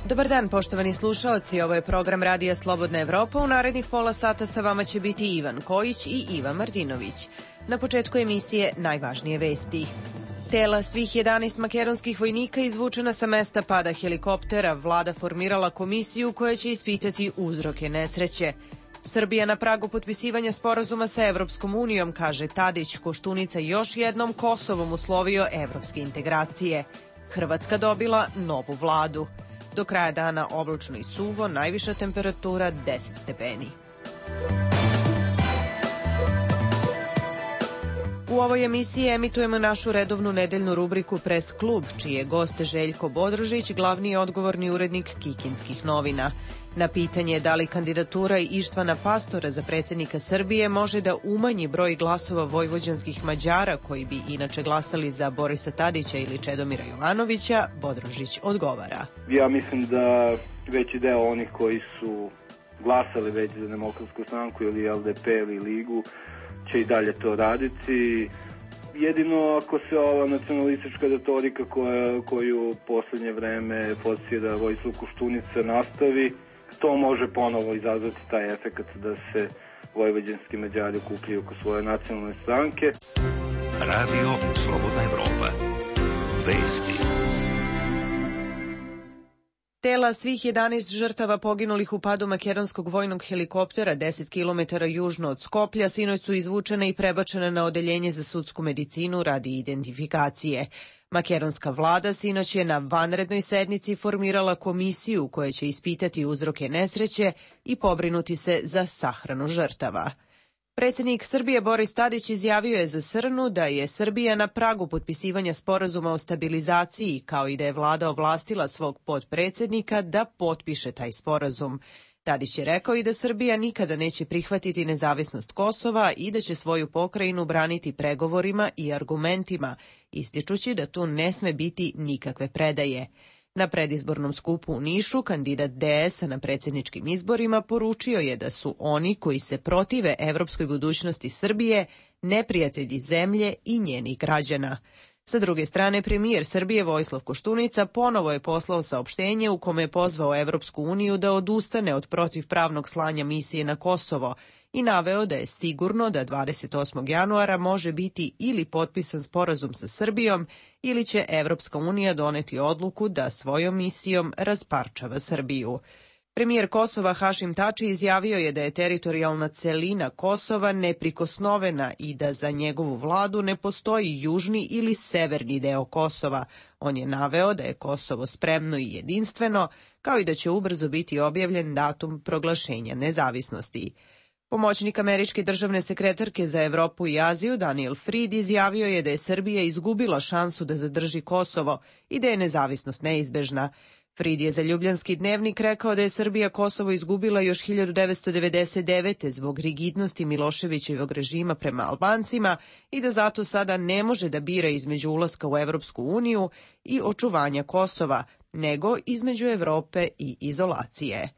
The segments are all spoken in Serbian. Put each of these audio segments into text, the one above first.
Dobar dan, poštovani slušaoci, ovo je program Radija Slobodna Evropa. U narednih pola sata sa vama će biti Ivan Kojić i Iva Martinović. Na početku emisije najvažnije vesti. Tela svih 11 makedonskih vojnika izvučena sa mesta pada helikoptera. Vlada formirala komisiju koja će ispitati uzroke nesreće. Srbija na pragu potpisivanja sporazuma sa Evropskom unijom, kaže Tadić. Koštunica još jednom Kosovom uslovio evropske integracije. Hrvatska dobila novu vladu. Do kraja dana oblačno i suvo, najviša temperatura 10 stepeni. U ovoj emisiji emitujemo našu redovnu nedeljnu rubriku Pres klub, čiji je gost Željko Bodrožić, glavni odgovorni urednik Kikinskih novina. Na pitanje da li kandidatura Ištvana Pastora za predsjednika Srbije može da umanji broj glasova vojvođanskih Mađara koji bi inače glasali za Borisa Tadića ili Čedomira Jovanovića, Bodrožić odgovara. Ja mislim da veći deo onih koji su glasali već za Demokratsku stranku ili LDP ili Ligu će i dalje to raditi. Jedino ako se ova nacionalistička retorika koju u poslednje vreme forsira Vojislav Koštunica nastavi, to može ponovo izazvati taj efekt da se vojvođanski Mađari okupljaju oko svoje nacionalne stranke. Radio Slobodna Evropa. Vesti. Tela svih 11 žrtava poginulih u padu makedonskog vojnog helikoptera 10 km južno od Skoplja sinoć su izvučena i prebačena na odeljenje za sudsku medicinu radi identifikacije. Makedonska vlada sinoć je na vanrednoj sednici formirala komisiju koja će ispitati uzroke nesreće i pobrinuti se za sahranu žrtava. Predsjednik Srbije Boris Tadić izjavio je za Srnu da je Srbija na pragu potpisivanja sporazuma o stabilizaciji, kao i da je vlada ovlastila svog potpredsjednika da potpiše taj sporazum. Tadić je rekao i da Srbija nikada neće prihvatiti nezavisnost Kosova i da će svoju pokrajinu braniti pregovorima i argumentima, ističući da tu ne sme biti nikakve predaje. Na predizbornom skupu u Nišu kandidat DS-a na predsjedničkim izborima poručio je da su oni koji se protive evropskoj budućnosti Srbije neprijatelji zemlje i njenih građana. Sa druge strane, premijer Srbije Vojislav Koštunica ponovo je poslao saopštenje u kome je pozvao Evropsku uniju da odustane od protivpravnog slanja misije na Kosovo i naveo da je sigurno da 28. januara može biti ili potpisan sporazum sa Srbijom ili će Evropska unija doneti odluku da svojom misijom rasparčava Srbiju. Premijer Kosova Hašim Tači izjavio je da je teritorijalna celina Kosova neprikosnovena i da za njegovu vladu ne postoji južni ili severni deo Kosova. On je naveo da je Kosovo spremno i jedinstveno, kao i da će ubrzo biti objavljen datum proglašenja nezavisnosti. Pomoćnik američke državne sekretarke za Evropu i Aziju Daniel Fried izjavio je da je Srbija izgubila šansu da zadrži Kosovo i da je nezavisnost neizbežna. Fried je za Ljubljanski dnevnik rekao da je Srbija Kosovo izgubila još 1999. zbog rigidnosti Miloševićevog režima prema Albancima i da zato sada ne može da bira između ulaska u Evropsku uniju i očuvanja Kosova, nego između Evrope i izolacije.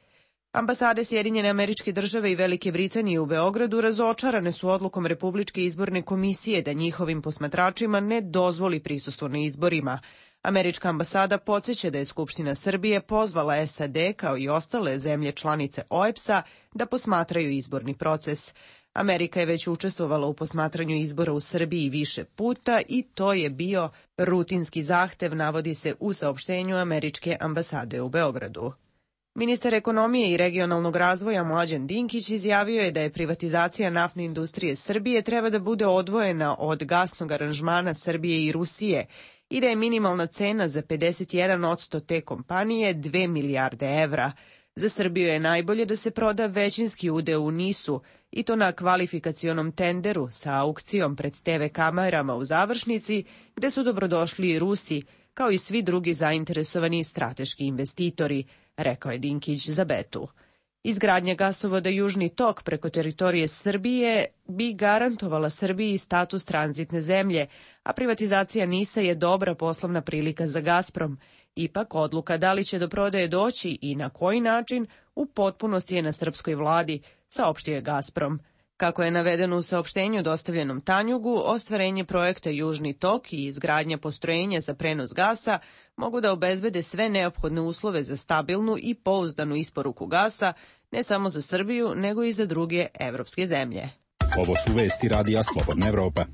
Ambasade Sjedinjene Američke Države i Velike Britanije u Beogradu razočarane su odlukom Republičke izborne komisije da njihovim posmatračima ne dozvoli prisustvo na izborima. Američka ambasada podsjeća da je Skupština Srbije pozvala SAD kao i ostale zemlje članice OEBS-a da posmatraju izborni proces. Amerika je već učestvovala u posmatranju izbora u Srbiji više puta i to je bio rutinski zahtev, navodi se u saopštenju Američke ambasade u Beogradu. Ministar ekonomije i regionalnog razvoja Mlađan Dinkić izjavio je da je privatizacija naftne industrije Srbije treba da bude odvojena od gasnog aranžmana Srbije i Rusije i da je minimalna cena za 51% te kompanije 2 milijarde evra. Za Srbiju je najbolje da se proda većinski udeo u NIS-u i to na kvalifikacionom tenderu sa aukcijom pred TV kamerama u završnici, gde su dobrodošli i Rusi, kao i svi drugi zainteresovani strateški investitori, rekao je Dinkić za Betu. Izgradnja gasovoda Južni tok preko teritorije Srbije bi garantovala Srbiji status tranzitne zemlje, a privatizacija NIS-a je dobra poslovna prilika za Gazprom. Ipak, odluka da li će do prodaje doći i na koji način u potpunosti je na srpskoj vladi, saopštio je Gazprom. Kako je navedeno u saopštenju dostavljenom Tanjugu, ostvarenje projekta Južni tok i izgradnja postrojenja za prenos gasa mogu da obezbede sve neophodne uslove za stabilnu i pouzdanu isporuku gasa, ne samo za Srbiju, nego i za druge evropske zemlje. Ovo su vesti Radija Slobodna Evropa.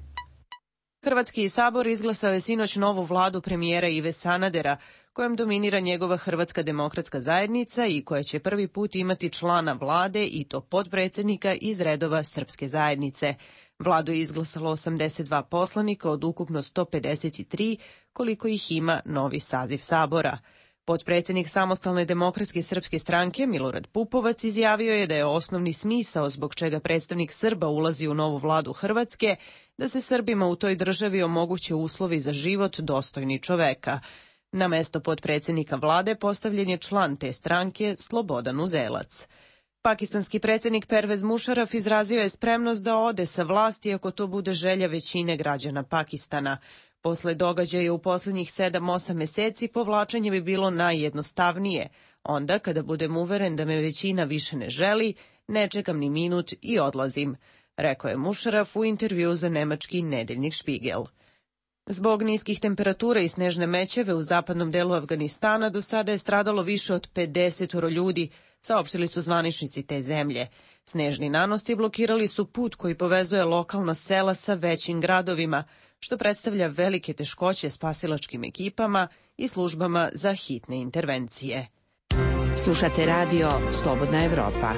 Hrvatski sabor izglasao je sinoć novu vladu premijera Ive Sanadera, kojom dominira njegova Hrvatska demokratska zajednica i koja će prvi put imati člana vlade i to potpredsednika iz redova Srpske zajednice. Vladu je izglasalo 82 poslanika od ukupno 153, koliko ih ima novi saziv sabora. Potpredsednik Samostalne demokratske srpske stranke Milorad Pupovac izjavio je da je osnovni smisao zbog čega predstavnik Srba ulazi u novu vladu Hrvatske da se Srbima u toj državi omoguće uslovi za život dostojni čoveka. Na mesto potpredsednika vlade postavljen je član te stranke Slobodan Uzelac. Pakistanski predsednik Pervez Mušaraf izrazio je spremnost da ode sa vlasti ako to bude želja većine građana Pakistana. Posle događaja u poslednjih 7-8 meseci povlačenje bi bilo najjednostavnije. Onda, kada budem uveren da me većina više ne želi, ne čekam ni minut i odlazim, rekao je Mušaraf u intervju za nemački nedeljnik Špigel. Zbog niskih temperatura i snežne mećave u zapadnom delu Afganistana do sada je stradalo više od 50 ljudi, saopštili su zvaničnici te zemlje. Snežni nanosci blokirali su put koji povezuje lokalna sela sa većim gradovima, što predstavlja velike teškoće spasilačkim ekipama i službama za hitne intervencije. Slušate radio Slobodna Evropa.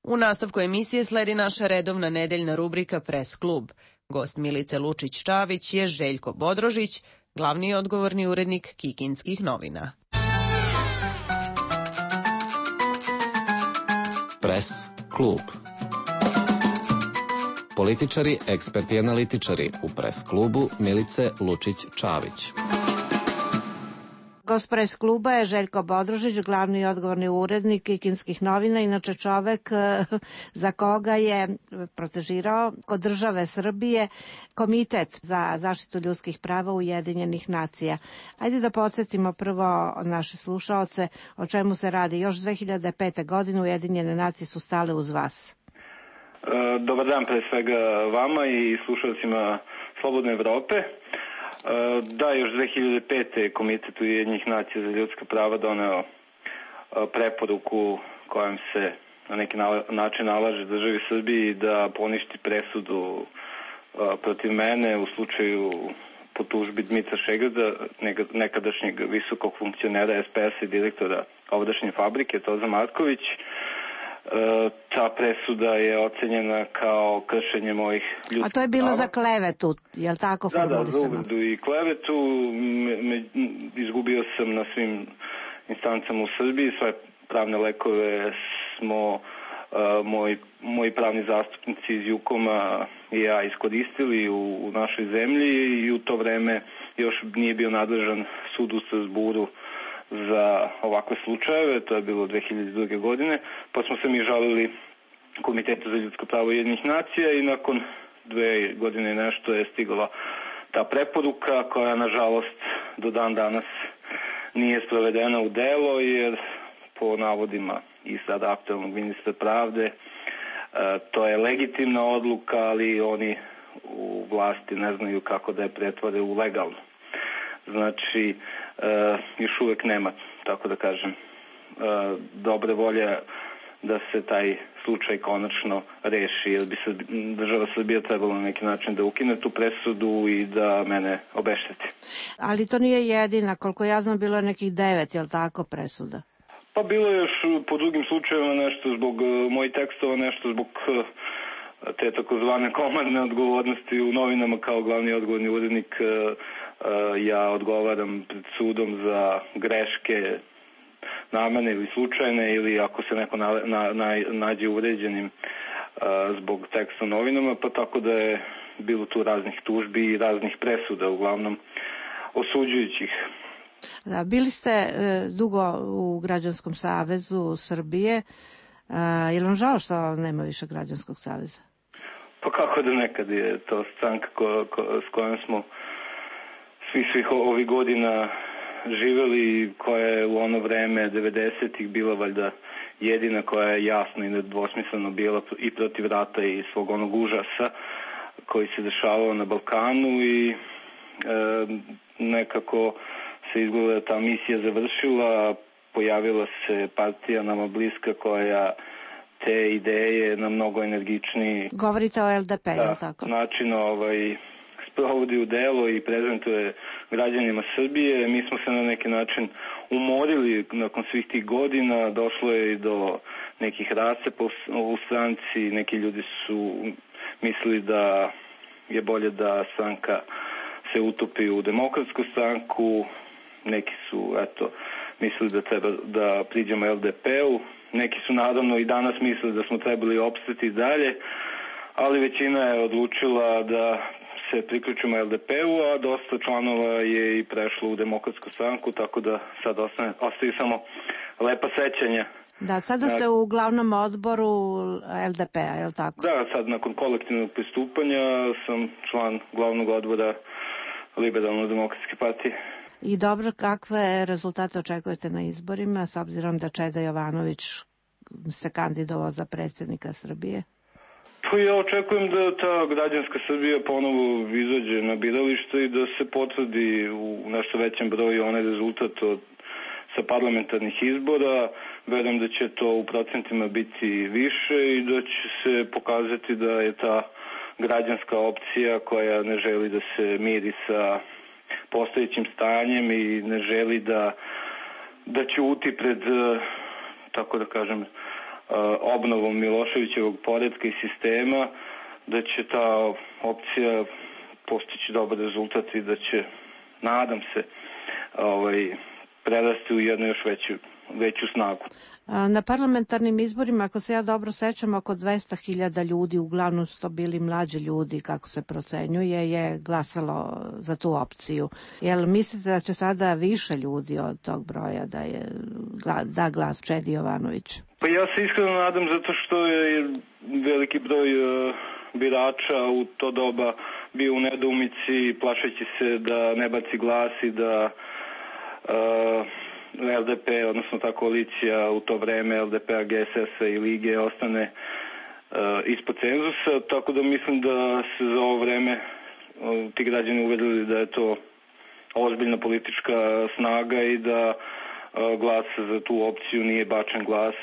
U nastavku emisije sledi naša redovna nedeljna rubrika Pres klub. Gost Milice Lučić-Čavić je Željko Bodrožić, glavni i odgovorni urednik Kikinskih novina. Pres klub. Političari, eksperti i analitičari u Pres klubu Milice Lučić-Čavić. Gost Pres kluba je Željko Bodrožić, glavni i odgovorni urednik Kikinskih novina, inače čovek za koga je protežirao kod države Srbije Komitet za zaštitu ljudskih prava Ujedinjenih nacija. Ajde da podsjetimo prvo naše slušaoce o čemu se radi. Još 2005. godine Ujedinjene nacije su stale uz vas. Dobar dan pre svega vama i slušalcima Slobodne Evrope. Da, još 2005. Komitet Ujedinjenih nacija za ljudska prava doneo preporuku kojom se na neki način nalaže državi Srbiji da poništi presudu protiv mene u slučaju po tužbi Dmitra Šegrada, nekadašnjeg visokog funkcionera SPS-a i direktora ovdašnje fabrike Toza Marković. Ta presuda je ocenjena kao kršenje mojih ljudskih prava. A to je bilo za klevetu, je li tako formulisano? Da, za uvredu i klevetu. Izgubio sam na svim instancama u Srbiji. Svoje pravne lekove smo moji pravni zastupnici iz Jukoma i ja iskoristili u našoj zemlji i u to vreme još nije bio nadležan sud u Strasburu za ovakve slučajeve, to je bilo 2002. godine, pa smo se mi žalili Komitetu za ljudska prava Ujedinjenih nacija i nakon 2 godine nešto je stigla ta preporuka koja nažalost do dan danas nije sprovedena u delo jer po navodima i sada aktualnog ministra pravde to je legitimna odluka, ali oni u vlasti ne znaju kako da je pretvore u legalno. Znači, još uvek nema, tako da kažem, dobre volje da se taj slučaj konačno reši, jer bi država Srbija trebala na neki način da ukine tu presudu i da mene obešteti. Ali to nije jedina, koliko ja znam bilo je nekih 9, je li tako, presuda? Pa bilo je još po drugim slučajevima nešto zbog mojih tekstova, nešto zbog te takozvane komandne odgovornosti u novinama kao glavni odgovorni urednik. Ja odgovaram pred sudom za greške namerne ili slučajne ili ako se neko nađe uvređenim zbog teksta u novinama, pa tako da je bilo tu raznih tužbi i raznih presuda, uglavnom osuđujućih. Da, bili ste dugo u Građanskom savezu Srbije. Je li vam žao što nema više Građanskog saveza? Pa kako da nekad je to stranka s kojom smo svih ovih godina živeli, koja je u ono vreme 90-ih bila valjda jedina koja je jasno i nedvosmisleno bila i protiv rata i svog onog užasa koji se dešavao na Balkanu i nekako se izgleda ta misija završila, pojavila se partija nama bliska koja te ideje na mnogo energičniji Govorite o LDP, je li tako? način sprovodi u delo i prezentuje građanima Srbije. Mi smo se na neki način umorili nakon svih tih godina, došlo je i do nekih rascepa u stranci, neki ljudi su mislili da je bolje da stranka se utopi u Demokratsku stranku, neki su mislili da treba da priđemo LDP-u, neki su naravno i danas mislili da smo trebali opstati dalje, ali većina je odlučila da se priključimo LDP-u, a dosta članova je i prešlo u Demokratsku stranku, tako da sad ostaju samo lepa sećanja. Da, sada ste u glavnom odboru LDP-a, je li tako? Da, sad nakon kolektivnog pristupanja sam član glavnog odbora Liberalno-demokratske partije. I dobro, kakve rezultate očekujete na izborima, s obzirom da Čeda Jovanović se kandidovao za predsjednika Srbije? Pa ja očekujem da ta građanska Srbija ponovo izađe na biralište i da se potvrdi u nešto većem broju onaj rezultat sa parlamentarnih izbora. Verujem da će to u procentima biti više i da će se pokazati da je ta građanska opcija koja ne želi da se miri sa postojećim stanjem i ne želi da ćuti pred, tako da kažem, obnovom Miloševićevog poretka i sistema, da će ta opcija postići dobar rezultat i da će, nadam se, prerasti u jednu još veću snagu. Na parlamentarnim izborima, ako se ja dobro sećam, oko 200.000 ljudi, uglavnom su to bili mlađi ljudi, kako se procenjuje, je glasalo za tu opciju. Jel mislite da će sada više ljudi od tog broja da glas Čedi Jovanović? Pa ja se iskreno nadam, zato što je veliki broj birača u to doba bio u nedoumici, plašeći se da ne baci glas i da LDP, odnosno ta koalicija u to vreme LDP-a, GSS-a i Lige ostane ispod cenzusa, tako da mislim da se za ovo vreme ti građani uverili da je to ozbiljna politička snaga i da glas za tu opciju nije bačen glas,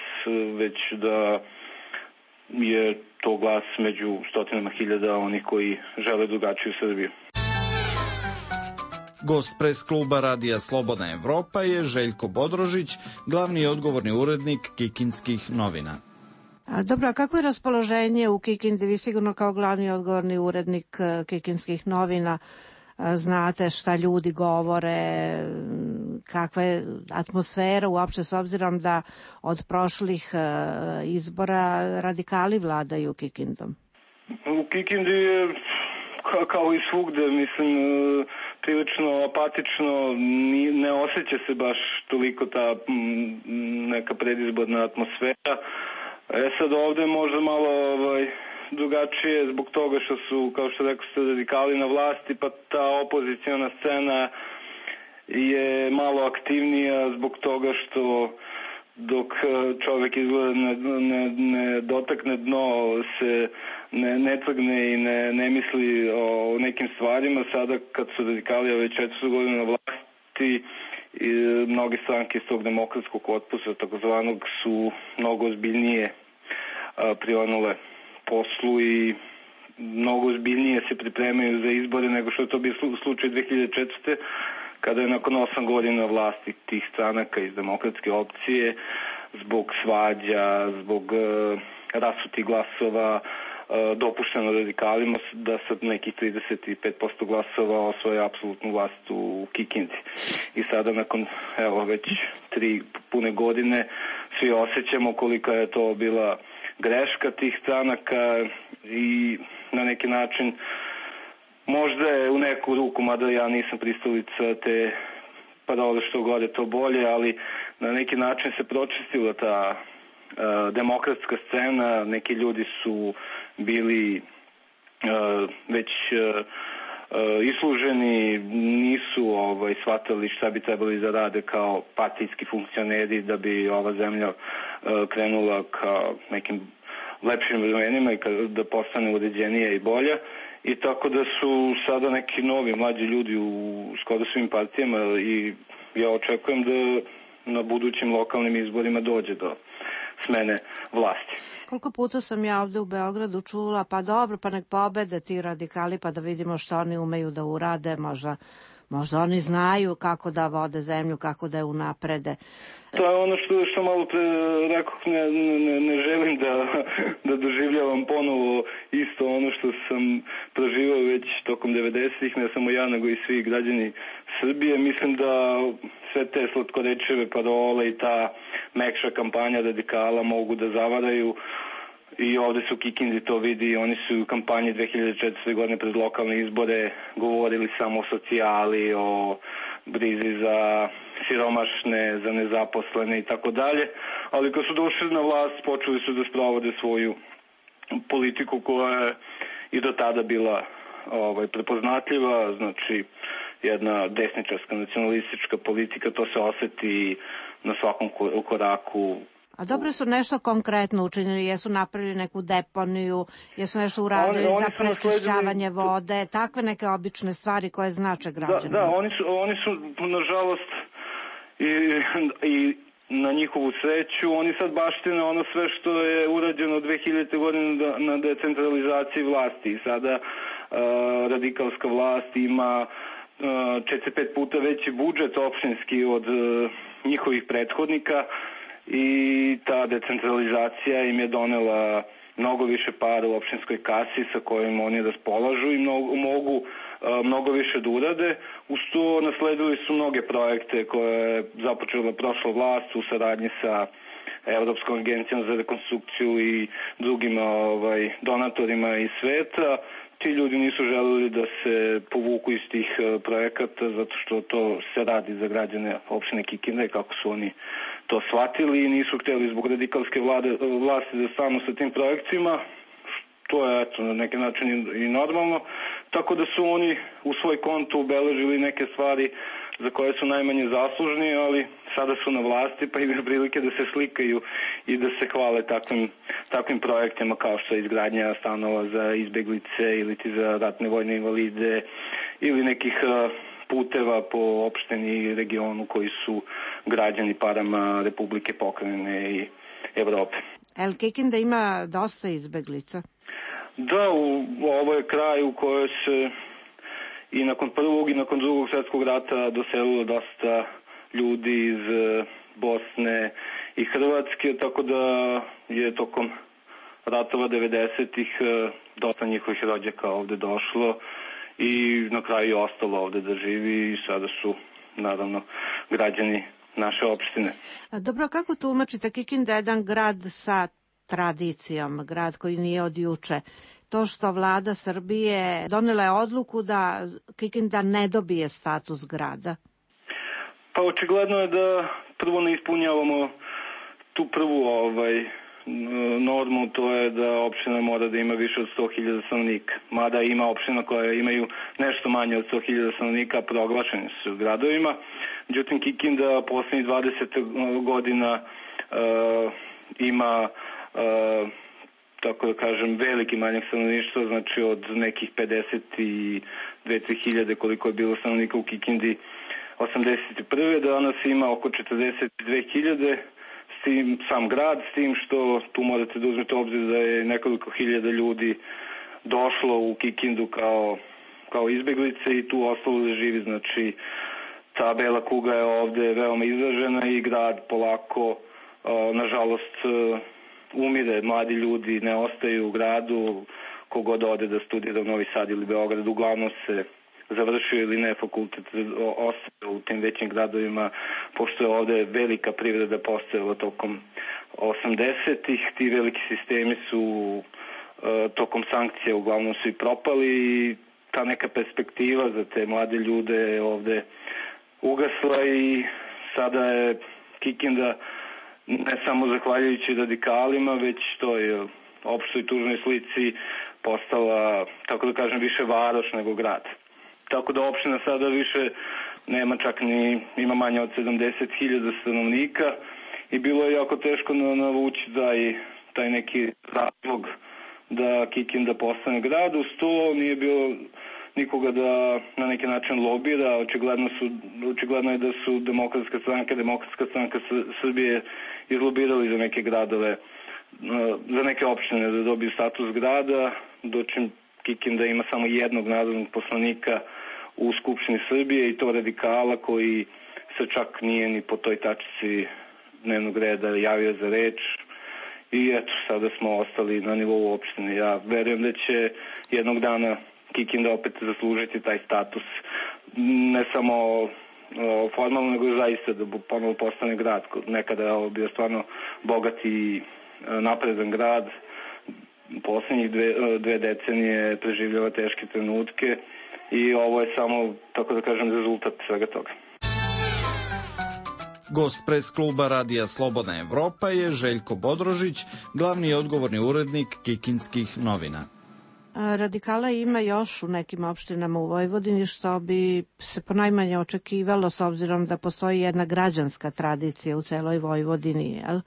već da je to glas među stotinama hiljada onih koji žele drugačiju Srbiju. Gost pres kluba Radija Slobodna Evropa je Željko Bodrožić, glavni i odgovorni urednik Kikinskih novina. Dobro, a kako je raspoloženje u Kikindi? Vi sigurno kao glavni i odgovorni urednik Kikinskih novina znate šta ljudi govore, kakva je atmosfera uopšte, s obzirom da od prošlih izbora radikali vladaju Kikindom. U Kikindi je kao i svugde, mislim, prilično apatično, ne osjeća se baš toliko ta neka predizborna atmosfera. Sad ovde možda malo drugačije zbog toga što su, kao što rekao ste, radikali na vlasti, pa ta opozicijona scena je malo aktivnija zbog toga što dok čovek izgleda ne dotakne dno, se ne trgne i ne misli o nekim stvarima. Sada kad su radikali već 400 godina na vlasti, i mnoge stranke iz tog demokratskog korpusa takozvanog su mnogo ozbiljnije prionule poslu i mnogo ozbiljnije se pripremaju za izbore nego što je to bio slučaj 2004. kada je nakon 8 godina vlasti tih stranaka iz demokratske opcije zbog svađa, zbog rasutih glasova dopušteno radikalima da sa nekih 35% glasova osvoje apsolutnu vlast u Kikindi. I sada nakon već 3 pune godine svi osjećamo kolika je to bila greška tih stranaka i na neki način možda je u neku ruku, mada ja nisam pristalica te parole što gore to bolje, ali na neki način se pročistila ta demokratska scena, neki ljudi su bili već isluženi, nisu shvatali šta bi trebali da rade kao partijski funkcioneri da bi ova zemlja krenula ka nekim lepšim vremenima i da postane uređenija i bolja. I tako da su sada neki novi mlađi ljudi u skoro svim partijama i ja očekujem da na budućim lokalnim izborima dođe do smene vlasti. Koliko puta sam ja ovde u Beogradu čula, pa dobro, pa nek pobede ti radikali, pa da vidimo što oni umeju da urade, možda oni znaju kako da vode zemlju, kako da je unaprede. To je ono što malo pre rekao, ne želim da doživljavam ponovo isto ono što sam proživao već tokom 90-ih, ne samo ja, nego i svi građani Srbije. Mislim da sve te slatkorečeve parole i ta mekša kampanja radikala mogu da zavaraju. I ovde se u Kikindi to vidi, oni su u kampanji 2004. godine pred lokalne izbore govorili samo o socijali, o brizi za siromašne, za nezaposlene i tako dalje, ali kad su došli na vlast počeli su da sprovode svoju politiku koja je i do tada bila prepoznatljiva, znači jedna desničarska nacionalistička politika, to se oseti na svakom koraku. A dobro su nešto konkretno učinili, jesu napravili neku deponiju, jesu nešto uradili za prečišćavanje vode, takve neke obične stvari koje znače građanima. Da, oni su nažalost i na njihovu sreću, oni sad baštine ono sve što je urađeno 2000. godine na decentralizaciji vlasti. I sada radikalska vlast ima 4-5 puta veći budžet opštinski od njihovih prethodnika, i ta decentralizacija im je donela mnogo više para u opštinskoj kasi sa kojim oni raspolažu i mogu mnogo više da urade. Uz to nasledili su mnoge projekte koje je započela prošla vlast u saradnji sa Evropskom agencijom za rekonstrukciju i drugim donatorima iz sveta. Ti ljudi nisu želeli da se povuku iz tih projekata zato što to se radi za građane opštine Kikinda i kako su oni to shvatili i nisu hteli zbog radikalske vlasti da stanu sa tim projekcijama, što je na neki način i normalno, tako da su oni u svoj konto ubeležili neke stvari za koje su najmanje zaslužni, ali sada su na vlasti pa imaju prilike da se slikaju i da se hvale takvim projektima kao što je izgradnja stanova za izbeglice ili za ratne vojne invalide ili nekih puteva po opštini i regionu koji su građani parama Republike, pokrajine i Evrope. El Kikinda ima dosta izbeglica? Da, ovo je kraj u kojoj se i nakon prvog i nakon drugog svjetskog rata doselilo dosta ljudi iz Bosne i Hrvatske, tako da je tokom ratova 90-ih dosta njihovih rođaka ovde došlo i na kraju je ostalo ovde da živi i sada su naravno građani naše opštine. Dobro, kako tumačite Kikinda je jedan grad sa tradicijom, grad koji nije od juče? To što vlada Srbije donela je odluku da Kikinda ne dobije status grada? Pa očigledno je da prvo ne ispunjavamo tu prvu normu, to je da opština mora da ima više od 100.000 stanovnika. Mada ima opština koje imaju nešto manje od 100.000 stanovnika, proglašeni su gradovima. Međutim, Kikinda poslednjih 20 godina ima tako da kažem, veliki manjak stanovništva, znači od nekih 52-3 koliko je bilo stanovnika u Kikindi 81. Danas ima oko 42.000, s tim sam grad, s tim što tu morate da uzmete obzir da je nekoliko hiljada ljudi došlo u Kikindu kao izbeglice i tu ostalo da živi, znači ta bela kuga je ovde veoma izražena i grad polako, nažalost, umire, mladi ljudi ne ostaju u gradu, kogod ode da studira u Novi Sad ili Beograd, uglavnom se završio ili ne fakultet, ostaje u tim većim gradovima, pošto je ovde velika privreda postojala tokom 80-ih, ti veliki sistemi su tokom sankcija uglavnom su i propali i ta neka perspektiva za te mlade ljude je ovde ugasla i sada je Kikinda ne samo zahvaljujući radikalima, već toj opštoj tužnoj slici postala, tako da kažem, više varoš nego grad. tako da opština sada više nema čak ni, ima manje od 70.000 stanovnika i bilo je jako teško navući taj neki razlog da Kikinda postane grad. Uz to nije bilo nikoga da na neki način lobira. Očigledno je da su Demokratska stranka Srbije izlobirali za neke gradove, za neke opštine da dobiju status grada, dočim Kikinda ima samo jednog narodnog poslanika u Skupštini Srbije i to radikala koji se čak nije ni po toj tačici dnevnog reda javio za reč. I eto, sada smo ostali na nivou opštine. Ja verujem da će jednog dana Kikinda opet zaslužiti taj status, ne samo formalno, nego zaista da ponovo postane grad. Nekada je ovo bio stvarno bogat i napredan grad. Poslednjih dve decenije preživljava teške trenutke i ovo je samo, tako da kažem, rezultat svega toga. Gost pres kluba Radija Slobodna Evropa je Željko Bodrožić, glavni i odgovorni urednik Kikinskih novina. Radikala ima još u nekim opštinama u Vojvodini, što bi se ponajmanje očekivalo s obzirom da postoji jedna građanska tradicija u celoj Vojvodini, jel?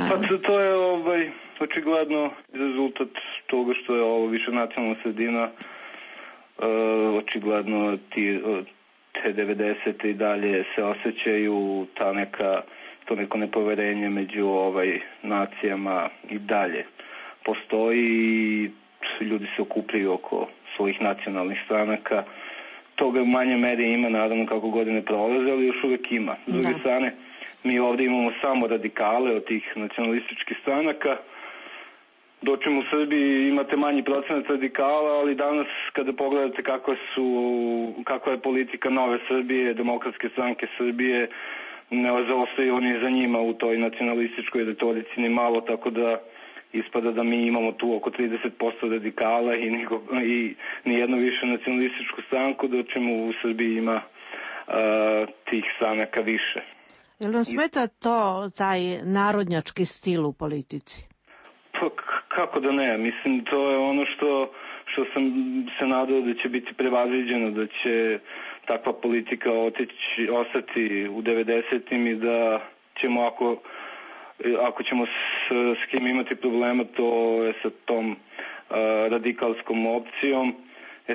Pa to je očigledno rezultat toga što je ovo više nacionalna sredina. Očigledno te 90. i dalje se osjećaju to neko nepoverenje među nacijama i dalje postoji i ljudi se okupljaju oko svojih nacionalnih stranaka. Toga u manje meri ima, naravno, kako godine prolaze, ali još uvek ima. S druge strane, mi ovde imamo samo radikale od tih nacionalističkih stranaka, dočim u Srbiji imate manji procenat radikala, ali danas kada pogledate kakva je politika Nove Srbije, Demokratske stranke Srbije, ne zaostaju oni za njima u toj nacionalističkoj retorici ni malo, tako da ispada da mi imamo tu oko 30% radikala i nijedno više nacionalističku stranku, dočim u Srbiji ima tih stranaka više. Jel vam smeta taj narodnjački stil u politici? Pa kako da ne, mislim to je ono što sam se nadao da će biti prevaziđeno, da će takva politika ostati u 90-im i da ćemo ako ćemo s kim imati problema, to je sa tom radikalskom opcijom.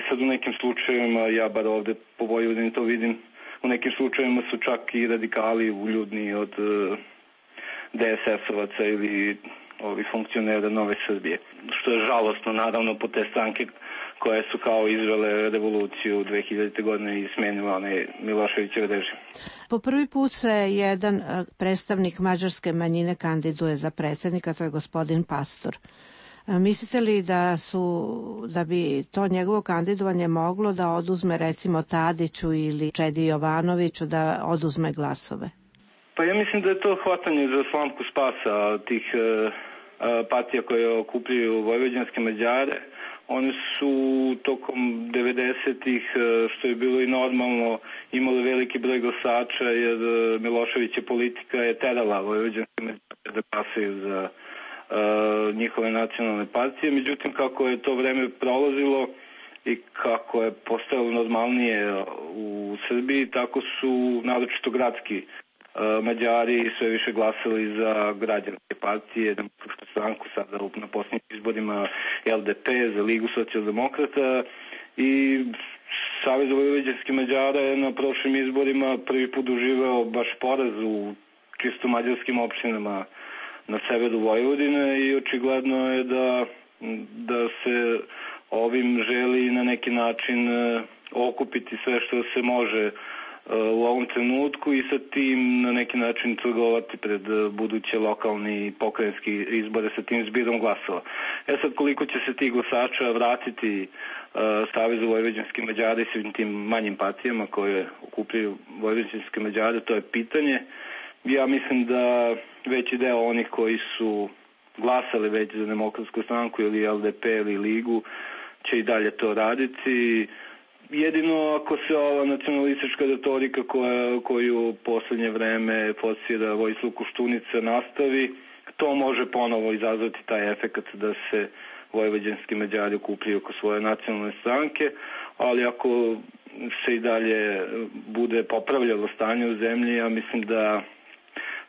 Sad u nekim slučajevima, ja bar ovde po Vojvodini to vidim, u nekim slučajevima su čak i radikali uljudniji od DSS-ovaca ili ovih funkcionera Nove Srbije. Što je žalostno, naravno, po te stranke koje su kao izvele revoluciju 2000. godine i smenile onaj Miloševićev režim. Po prvi put se jedan predstavnik mađarske manjine kandiduje za predsjednika, to je gospodin Pastor. Mislite li da bi to njegovo kandidovanje moglo da oduzme recimo Tadiću ili Čedi Jovanoviću da oduzme glasove? Pa ja mislim da je to hvatanje za slamku spasa tih partija koje okupljaju vojvođanske Mađare. Oni su tokom 90-ih, što je bilo i normalno, imali veliki broj glasača jer Miloševića politika je terala vojvođanske Mađare da glasaju za njihove nacionalne partije. Međutim, kako je to vreme prolazilo i kako je postojalo normalnije u Srbiji, tako su naročito gradski Mađari sve više glasali za građanske partije, Demokratsku stranku, sada na posljednjim izborima LDP, za Ligu socijaldemokrata i Savez vojvođanskih Mađara je na prošlim izborima prvi put doživeo baš poraz u čisto mađarskim opštinama na severu Vojvodine i očigledno je da se ovim želi na neki način okupiti sve što se može u ovom trenutku i sa tim na neki način trgovati pred buduće lokalni i pokrajinski izbore sa tim zbirom glasova. Sad koliko će se tih glasača vratiti Savezu vojvođanske Mađare i svim tim manjim partijama koje okupljaju vojvođanske Mađare, to je pitanje. Ja mislim da veći deo onih koji su glasali već za Demokratsku stranku ili LDP ili Ligu će i dalje to raditi. Jedino ako se ova nacionalistička retorika koju u poslednje vreme forsira Vojislav Koštunica nastavi, to može ponovo izazvati taj efekat da se vojvođanski Mađari okupljaju oko svoje nacionalne stranke, ali ako se i dalje bude popravljalo stanje u zemlji, ja mislim da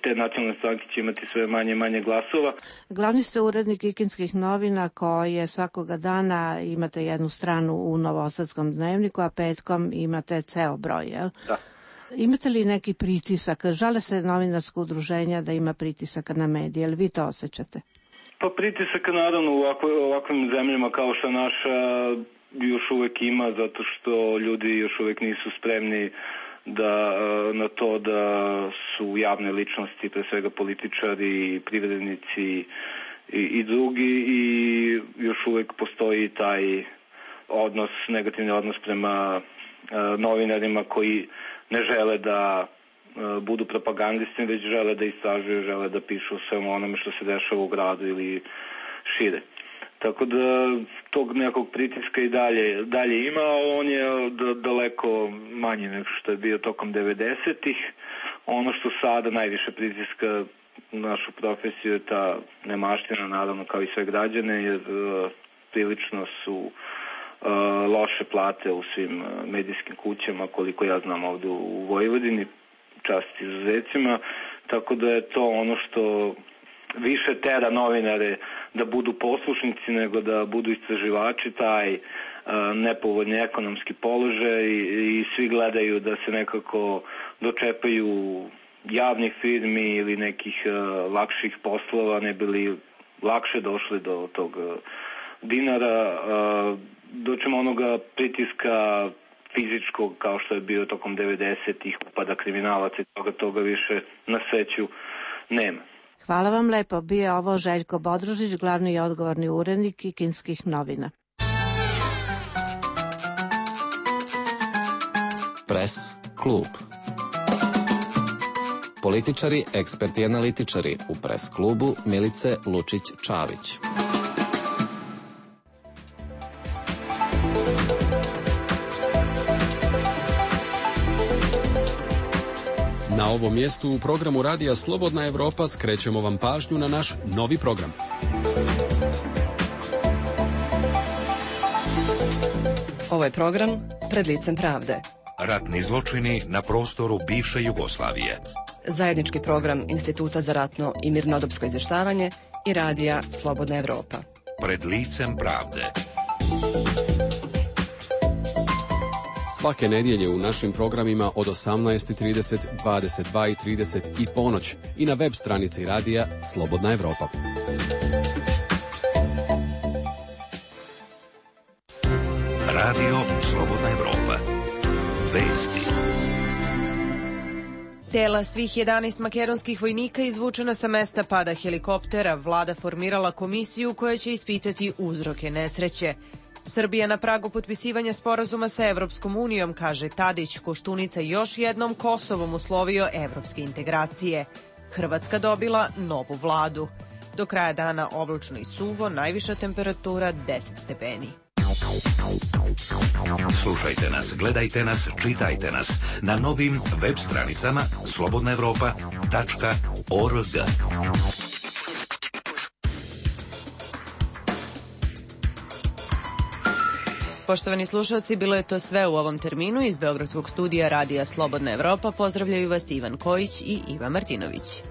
te nacionalne stranke će imati sve manje i manje glasova. Glavni ste urednik Kikinskih novina koje svakoga dana imate jednu stranu u Novosadskom dnevniku, a petkom imate ceo broj, jel? Da. Imate li neki pritisak? Žale se novinarsko udruženja da ima pritisaka na medije, jel vi to osjećate? Pa pritisaka naravno u ovakvim zemljama kao što naša još uvek ima, zato što ljudi još uvek nisu spremni na to da su javne ličnosti, pre svega političari, privrednici i drugi, i još uvek postoji taj negativni odnos prema novinarima koji ne žele da budu propagandisti, već žele da istražuju, žele da pišu o svemu onome što se dešava u gradu ili šire. Tako da tog nekog pritiska i dalje ima, on je daleko manji nego što je bio tokom 90-ih. Ono što sada najviše pritiska našu profesiju je ta nemaština, naravno kao i sve građane, jer prilično su loše plate u svim medijskim kućama, koliko ja znam ovde u Vojvodini, čast izuzecima, tako da je to ono što više tera novinare da budu poslušnici nego da budu istraživači, taj nepovoljni ekonomski položaj, i svi gledaju da se nekako dočepaju javnih firmi ili nekih lakših poslova, ne bili lakše došli do tog dinara, doćemo onoga pritiska fizičkog kao što je bio tokom 90-ih, upada kriminalaca i toga više na sreću nema. Hvala vam lepo. Bio je ovo Željko Bodrožić, glavni i odgovorni urednik Kikinskih novina. Pres klub. Političari, eksperti i analitičari u Pres klubu Milice Lučić-Čavić. Na ovom mjestu u programu Radija Slobodna Evropa skrećemo vam pažnju na naš novi program. Ovo je program Pred licem pravde. Ratni zločini na prostoru bivše Jugoslavije. Zajednički program Instituta za ratno i mirnodopsko izvještavanje i Radija Slobodna Evropa. Pred licem pravde. Svake nedjelje u našim programima od 18:30, 22:30 i ponoć i na web stranici Radija Slobodna Evropa. Radio Slobodna Evropa. Vesti. Tela svih 11 makedonskih vojnika izvučena sa mesta pada helikoptera, vlada formirala komisiju koja će ispitati uzroke nesreće. Srbija na pragu potpisivanja sporazuma sa Evropskom unijom, kaže Tadić. Koštunica još jednom Kosovom uslovio evropske integracije. Hrvatska dobila novu vladu. Do kraja dana oblačno i suvo, najviša temperatura 10 stepeni. Slušajte nas, gledajte nas, čitajte nas na novim web stranicama slobodnaevropa.org. Poštovani slušalci, bilo je to sve u ovom terminu. Iz Beogradskog studija Radija Slobodna Evropa pozdravljaju vas Ivan Kojić i Iva Martinović.